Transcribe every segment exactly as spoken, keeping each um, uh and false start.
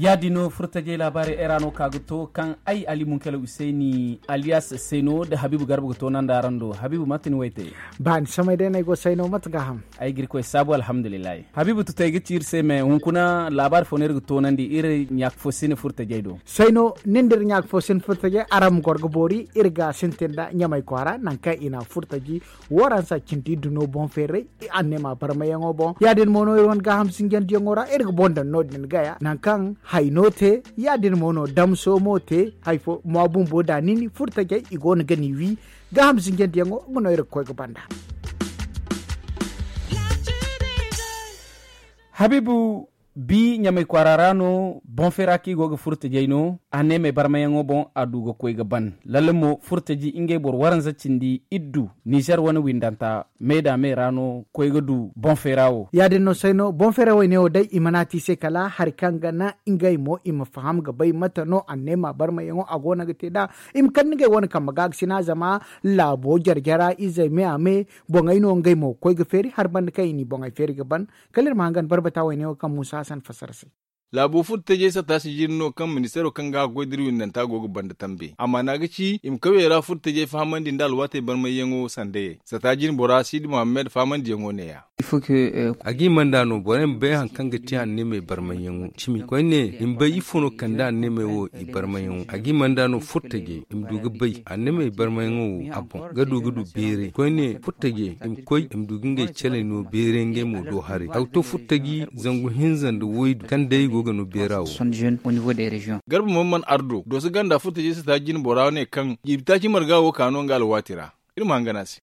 Ya-din no furtajey laabaarey ay ra no ka ga to kaŋ ay ali munkela useyni aliyas sayno nda habiibu garba ga toonandi araŋ do. Habiibu mate ni wayte? Ba ni samay day no ay go sayno mate gaaham. Ay ga iri koy saabu alhamdulillahi. Habiibu tutay ga ci iri se me hunkuna laabaari fo no iri ga toonandi iri ɲaaka fo sine furtajey do. Sayno nin da iri ɲaaka fo sine furtajey araŋ ma goro ga boori iri ga sintin nda ɲamay kwaara nangu kaŋ i na furtaji waransa cindi duno boŋ feeray. Anneema barmayaŋo boŋ ya-din mo no iri wane gaaham sinjandiyaŋo ra iri ga boŋ daŋ no- din gaya nangu kaŋ hayno te. Ya-din mo no damso mo te hari fo ma bumbo da nin furtajey i go no ga ni wi. Gaaham sinjandiyaŋo nga no iri ga koy ga banda. Habiibu, bi ɲamay kwaara ra no boŋ feera kaŋ i go ga furtajey no anneemey barmayaŋo boŋ a du ga koy ga ban. Lalle mo furtaji ngey boro waranza cindi iddu nizer wane windanta me da me ra no koy ga du boŋ feera wo. Ya-din no sayno boŋ feera wayne wo day i mana te i se kala hari kaŋ ga naŋ ngey mo i ma faham ga bay mate no anneema barmayaŋo a go no ga te nd'a. I ma kande ngey wane kambe ga ga sina zama laabo jare-jara izey me a me boŋey no ngey mo ga koy ga feeri hari banda kaŋ i n'i boŋey feeri ga ban. Kala iri ma hangan barbata wayne wo kaŋ muusa hasan fassara se. Laabo furtajey satta si jin no kaŋ ministeero kaŋ ga a ga goy da iri windanta go ga banda tambe a maana ga ci i ma kawyey ra furtajey fahamandi nda alwaatey barmayyaŋo sandayey satta jin bora siidi muhammad fahamandiyaŋo neeya. A ga i manda no borey ma bay hari kaŋ ga te anneemey barmayyaŋo cimi koyne i ma bay ifo no kande anneemey wo i barmayyaŋo a ga i manda no furtajey i ma du ga bay anneemey barmayyaŋo wo a boŋ ga du ga du beeray koyne furtajey i ma koy i ma du ga ngey caley no beeray ngey mo do haray a ga to furtaji zangu hinza nda waydu kaŋ day go ga no beera wo. Garba mamman ardo dooso ganda furtajey satta jin bora ne kaŋ jiibi taaci marga wo ka no nga alwaati ra. Iri ma hangan a se.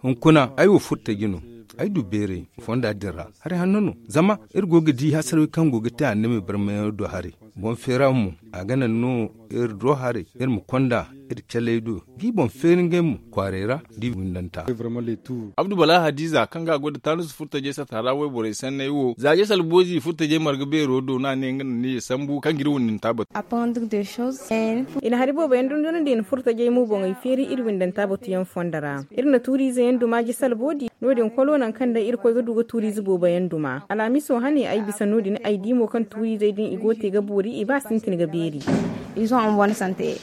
Hunkuna ay wo furtaji no. Ay du beeray fonda din ra hari hanno no zama iri go ga di hasarey kaŋ go ga te annabi barmayaŋo do haray. Boŋ feera mo a ga naŋ no iri do haray iri ma konda iri caley do ga i boŋ feeri ngey mo kwaaray ra da i windanta. Abdu bala hadiza kaŋ ga a goy nda taanus furtajey satta ra wayborey sanney wo za jay salboozi furtajey marga beero do no a ne nga naŋ ni ye sambu kaŋ ga iri windanta batu. I na hari boobo yaŋ dundunandi i na furtajey mo boŋey feeri iri windanta batuyaŋ fondo ra. Iri na tuuriize yaŋ duma jay salboodi no- din kolo nangu kaŋ day iri koy ga du ga tuuriize boobo yaŋ duma alhamiso hane ay bisa no- din ay di mo kaŋ tuuriizey din i go ga te ga boori i ba sintin ga beeri.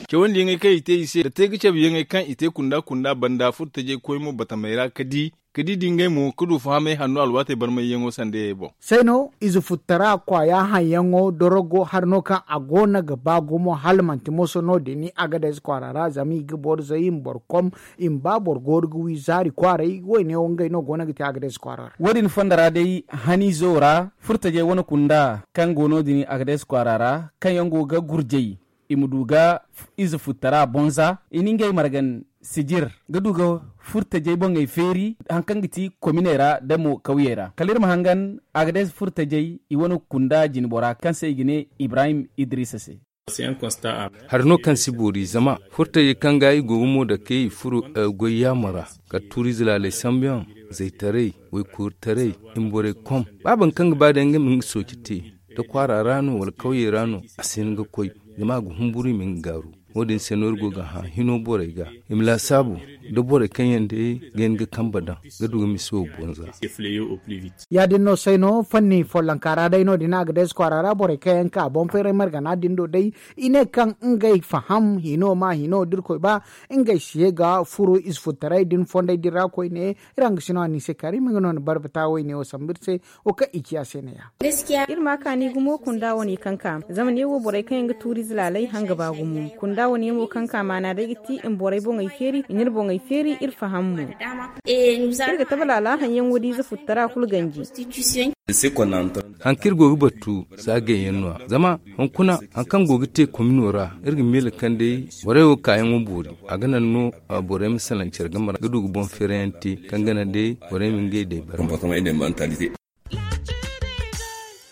Cawandi yaŋey kaŋ i te i se nda te ga cabe yaŋey kaŋ i te kunda kunda banda furtajey koy mo batamey ra ka di ka di da ngey mo ka du fahamey hanno alwaatey barmayyaŋo sandayey boŋ. Sayno ize futtara kwaaya haŋyaŋo dorogo hari no kaŋ a go no ga ba gumo hala manti moso no- din a ga day ize kwaara ra zama i ga boro zay i ma boro kom i ma ba boro gooru ga wi zaari kwaaray wayne wo ngey no go no ga te a ga day ize kwaara ra. Wo- din fondo ra day haniizo ra furtajey wane kunda kaŋ go no- din a ga day ize kwaara ra kaŋ yaŋ go ga gurjay i ma du ga ize futtara boŋ za i na ngey margan sijir ga du ga furtajey boŋey feeri hari kaŋ ga ti kominey ra da mo kawyey ra kala iri ma hangan a ga day ize furtajey i wane kunda jinbora kaŋ se i ga ne ibrahim idrisa se. Hari no kaŋ si boori zama furtajey kaŋ ga i go ga mo dake i furo goy yaamo ra kala tuuriize laaley sambuyaŋ zaytaray waykooritaray i ma borey kom ba boro kaŋ ga ba day nga ma nga sooci te da kwaara ra no wala kawyey ra no a si hin ga koy zama a ga humburu i ma hin ga gaaru. Wo- din se no iri go ga hã hino borey ga i ma laasaabu da borey kaŋ yaŋ day ga hin ga kambe daŋ ga du ga misa wo boŋ za. Ya- din no sayno fanni follonka ra day no- din a ga day ize kwaara ra borey kaŋ yaŋ ka boŋ feeray margana din do day i ne kaŋ ngey faham hino ma hino da iri koy ba ngey si ye ga furo ize futtaray din fondey din ra koyne. Iri hangasino a ni se kaari ma nga no ni barbata wayne wo sambu iri se. Wo kaŋ i ci a se ne- ya. Iri ma kaani gumo kunda wane kaŋ ka zama ne wo borey kaŋ yaŋ ga tuuri ize laalay hanga ba gumo kunda wane yaŋ wo kaŋ ka maana day ga ti i ma borey boŋey feeri i na iri boŋey feeri iri faham mo. Iri ga tabe laala haŋ yaŋ wo da ize futtara kulu ganji. Haŋ kaŋ iri go ga battu za gayyaŋ no- ya zama hunkuna haŋ kaŋ go ga te komino ra iri ga miila kaŋ day borey wo kaayaŋo boori a ga naŋ no borey ma salaŋ care game ra ga du ga boŋ feerayaŋ te kaŋ ga naŋ day borey ma ngey day bare.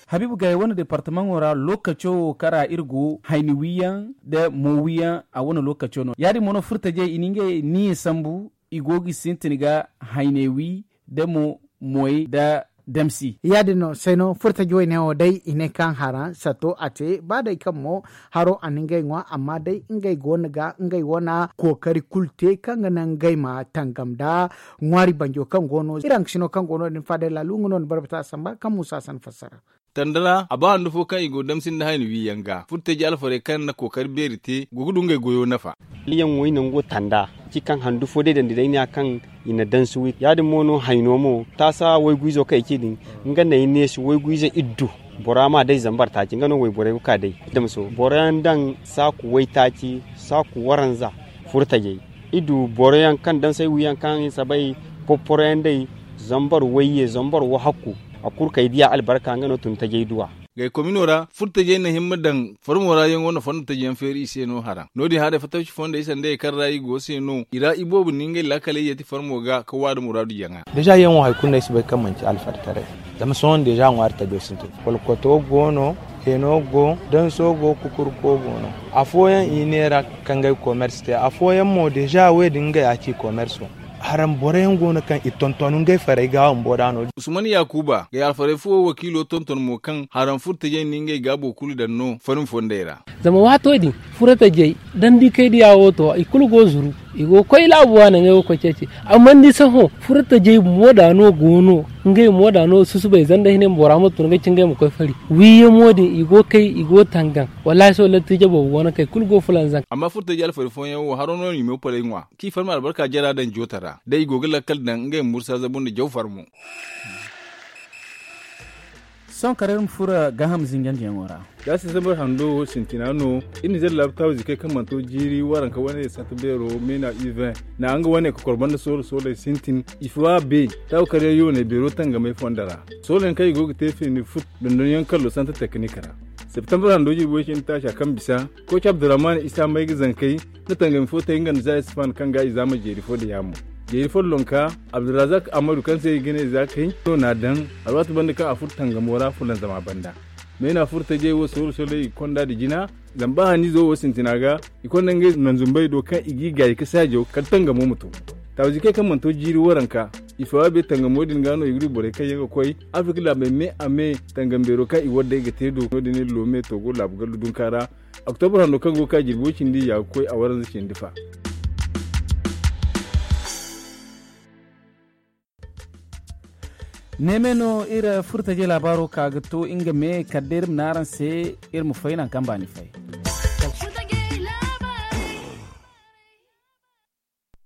Habiibu gay wane departamaŋo ra lookaco wo kaŋ ra iri go hayni wiyaŋ nda mo wiyaŋ a wane lookaco no ya- din mo no furtajey i na ngey niya sambu i go ga sintin ga hayne wi nda mo moy nda damsi. Ya- din no se no furtaji wayne wo day i ne kaŋ hara sato a te ba day kaŋ mo haro a na ngey ŋwa amma day ngey go no ga ngey wane kookari kulu te kaŋ ga naŋ ngey ma tangam nda ŋwaari banjo kaŋ go no iri haŋgasino kaŋ go no- din faada laalu nga no ni barbata samba kaŋ muusa san fassara. Tanda ra a ba handu fo kaŋ i go damsin da hayni wiiyaŋ ga furtaji alfarey kaŋ na kookari beeri te go ga du ngey goyo nafa. Yaŋ wo i nango tanda ci kaŋ handu fo day dandi day ne ya kaŋ i na dansi wi ya- din mo no hayno mo taasa waygu izo kaŋ ay ci din nga no ay neesi waygu izo iddu. Bora ma day zambar taaci nga no wayborey ga ka day damso boro yaŋ daŋ saaku waytaaci saaku waranza furtajey. I du boro yaŋ kaŋ daŋ say wiyaŋ kaŋ i sabay porporo yaŋ day zambar wayye zambar wahakku a kulu kay diya albarka nga no tun tajey duwa. Gay komino ra furtajey na himma daŋ farmo ra yaŋo na fondo taji yaŋ feeri i se no haraŋ no- din haray fatawci fondey sanda ye kaŋ ra i go se no i ra i boobo ni ngey laakaley yeeti farmo ga ka waada muraadu jaŋa. Deeza yaŋo hari kulu no ay si bay kaŋ manci alfartaray zama sohõ deeza ŋwaari tajo sintin kolkoto go no, heno go danso go kukurko go no. Afooyaŋ i neera ka ngey komersi te afooyaŋ mo deeza wo- din ngey a ci komerso. Haraŋ boro yaŋ go no kaŋ i tonton ngey farey ga bumbo da no- din. Usman yaakuba gay alfarey fo wakiilo tonton mo kaŋ haraŋ furtajey na ngey gaabo kulu daŋ no farmi fondey ra. Zama waato din furtajey dandi kay diya wo to i kulu go zuru i go ga koy laabu waana ngey wo ga koy ceeci. Amma ni sohõ furtajey mooda no go no ngey mooda no susubay zanda hinay ma bora ma tun ga ci ngey ma koy fari wiiyamo din i go ga kay i go ga tangaŋ. Wallaahi sohõ lattiija boobo go no kaŋ i kulu go ga fulanzaŋ. Amma furtaji alfari fooyaŋ wo haro no i ma palay ŋwa kaŋ i farma albarka jara daŋ joota ra day i go ga lakkal daŋ ngey ma mursa zabu nda jaw farmo. Sohõ kala iri ma furo gaaham zinjandiyaŋo ra. Za se zambar hando wo sintina no iri na zalla laabu taabu zikey kaŋ mana to jiiri waranka wane sata beero meena uvin na nga wane kokor banda soolo sooley sintin. Ifowa be taabu karyaŋ yooney beero tangamey fonda ra. Sooloyaŋ kaŋ i go ga te feeni fut dondonyaŋ kallo santa teknik ra. Septembar hando jirbi way cindi taaca kaŋ bisa kooci abdurrahman isa may ga zankey na tangami fo te nga nda za isfan kaŋ ga i zaama jeeri fo da yaamo. Jeeri follonka abdurrazak amadu kaŋ se i ga ne za kay no n'a daŋ alwaati banda kaŋ a furo tangamo ra fulanzama banda. Meena furo tajey wo sooro sooley i konda nda jina. Zama ba hanniizo wo sintina ga i konda ngey nanzumbey do kaŋ i g'i gaayi ka saajo kala tangamo ma to. Taabu zikey kaŋ mana to jiiri waranka i fawa be tangamo din ga no i ga du borey kaŋ yaŋ ga koy afirka laabey me a me tangam beero kaŋ i war day ga te do no- din iri loome togo laabu gallu dunka ra. Oktobra hando kaŋ go ga ka jirbo cindi ya ga koy a waranza cindi fa. Neeme no iri furtajey laabaaro ka ga to nga me kala day iri ma ne araŋ se iri ma fay nangu kaŋ baani fay.